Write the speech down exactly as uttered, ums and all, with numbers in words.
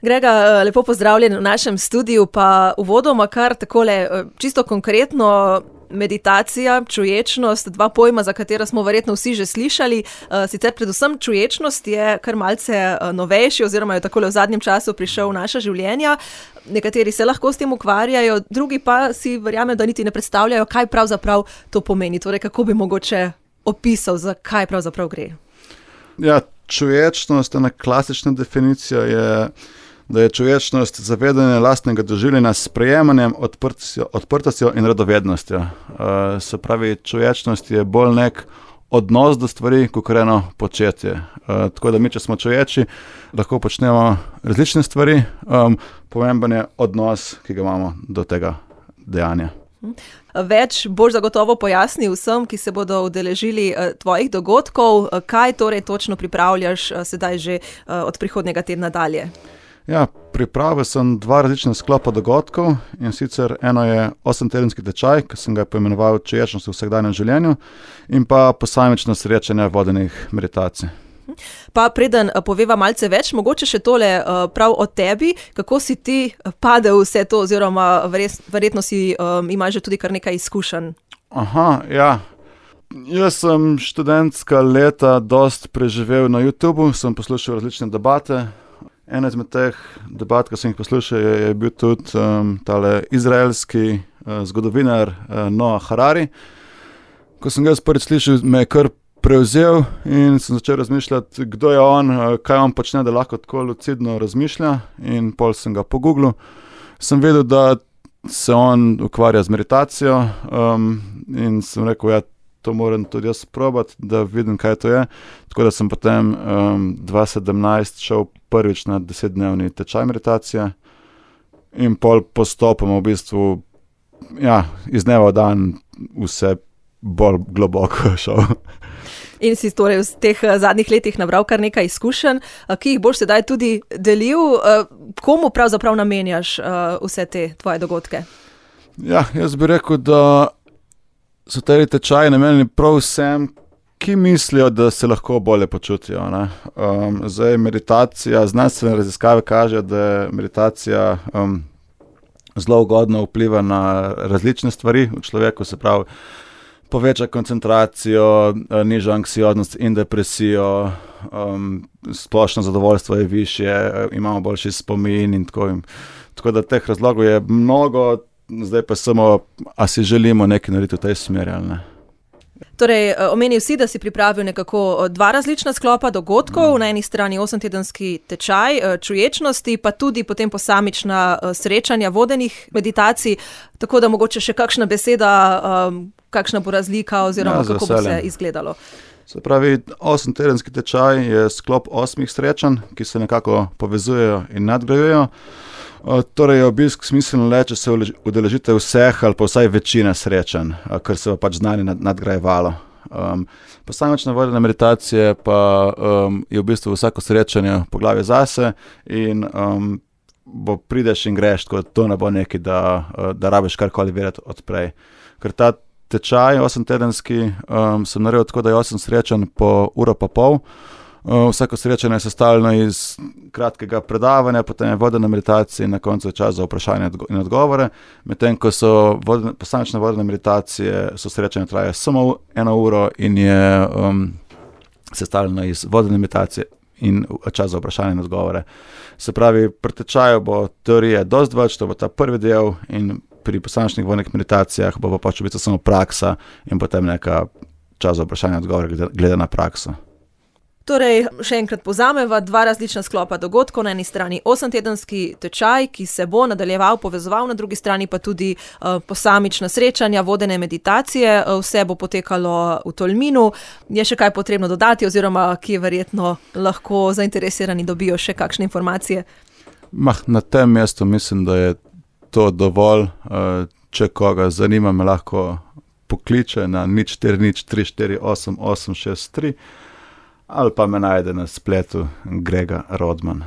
Grega, lepo pozdravljen v našem studiu, pa uvodoma kar takole čisto konkretno. Meditacija, čuječnost, dva pojma, za katera smo verjetno vsi že slišali. Sicer predvsem čuječnost je kar malce novejši oziroma je takole v zadnjem času prišel v naša življenja. Nekateri se lahko s tem ukvarjajo, drugi pa si verjamem, da niti ne predstavljajo, kaj pravzaprav to pomeni. Torej, kako bi mogoče opisal, za kaj pravzaprav gre? Ja, čuječnost, ena klasična definicija je, da je čuječnost zavedanje lastnega doživljanja s sprejemanjem, odprtostjo, odprtostjo in radovednostjo. Uh, se pravi, čuječnost je bolj nek odnos do stvari, kakor eno početje. Uh, tako da mi, če smo čuječi, lahko počnemo različne stvari, um, pomemben je odnos, ki ga imamo do tega dejanja. Več boš zagotovo pojasnil vsem, ki se bodo udeležili tvojih dogodkov, kaj torej točno pripravljaš sedaj že od prihodnjega tedna dalje? Ja, pripravil sem dva različna sklopa dogodkov, in sicer eno je osemtedenski tečaj, ki sem ga poimenoval Čuječnost v vsakdanjem življenju, in pa posamično srečanje vodenih meditacij. Pa preden poveva malce več, mogoče še tole prav o tebi, kako si ti padel vse to, oziroma verjetno si um, imaš že tudi kar nekaj izkušenj. Aha, ja. Jaz sem študentska leta dost preživel na YouTubu, sem poslušal različne debate. Ena izmed teh debat, ki sem jih poslušal, je, je bil tudi um, tale izraelski uh, zgodovinar uh, Noah Harari. Ko sem ga jaz prvič slišal, me je kar prevzel in sem začel razmišljati, kdo je on, uh, kaj on počne, da lahko tako lucidno razmišlja, in pol sem ga pogooglil. Sem vedel, da se on ukvarja z meditacijo um, in sem rekel, ja, to moram tudi jaz probati, da vidim, kaj to je. Tako da sem potem um, dva tisoč sedemnajst šel prvič na desetdnevni tečaj meditacije in pol postopoma v bistvu, ja, iz dneva v dan vse bolj globoko šel. In si torej v teh zadnjih letih nabral kar nekaj izkušenj, ki jih boš sedaj tudi delil. Komu pravzaprav namenjaš vse te tvoje dogodke? Ja, jaz bi rekel, da so te tečaji namenjeni prav vsem, ki mislijo, da se lahko bolje počutijo. Ne? Um, zdaj meditacija, znanstvene raziskave kažejo, da je meditacija um, zelo ugodno vpliva na različne stvari v človeku, se pravi, poveča koncentracijo, niža anksioznost in depresijo, um, splošno zadovoljstvo je višje, imamo boljši spomin in tako. In, tako da teh razlogov je mnogo. Zdaj pa samo, a si želimo nekaj narediti v tej smeri ali ne. Torej, omenil si, da si pripravil nekako dva različna sklopa dogodkov, mm. na eni strani osemtedenski tečaj čuječnosti, pa tudi potem posamična srečanja vodenih meditacij, tako da mogoče še kakšna beseda, um, kakšna bo razlika oziroma ja, kako bo se izgledalo. Se pravi, osemtedenski tečaj je sklop osmih srečanj, ki se nekako povezujejo in nadgrajujejo. Torej je obisk smiselno le, če se udeležite vseh ali pa vsaj večine srečanj, ker se bo pač znanje nadgrajevalo. Um, posamična vodena meditacije pa um, je v bistvu vsako srečanje poglavje zase in um, bo prideš in greš, tako da to ne bo nekaj, da, da rabiš karkoli vedeti odprej. Ker ta tečaj osemtedenski um, sem naredil tako, da je osem srečanj po uro pa pol. Uh, vsako srečanje je sestavljeno iz kratkega predavanja, potem je vodena meditacija in na koncu je čas za vprašanje in odgovore. Medtem ko so vodene, posamične vodene meditacije, so srečanje traje samo eno uro in je um, sestavljeno iz vodene meditacije in čas za vprašanje in odgovore. Se pravi, pri tečaju bo teorije dosti več, to bo ta prvi del, in pri posamičnih vodenih meditacijah bo pa pač v bistvu samo praksa in potem neka čas za vprašanje in odgovore glede, glede na prakso. Torej, še enkrat povzameva, dva različna sklopa dogodkov, na eni strani osemtedenski tečaj, ki se bo nadaljeval, povezoval, na drugi strani pa tudi uh, posamična srečanja, vodene meditacije, uh, vse bo potekalo v Tolminu. Je še kaj potrebno dodati oziroma kje verjetno lahko zainteresirani dobijo še kakšne informacije? Mah, na tem mestu mislim, da je to dovolj. Uh, če koga zanima, me lahko pokliče na nič štiri nič tri štiri osem osem šest tri ali pa me najde na spletu Grega Rodman.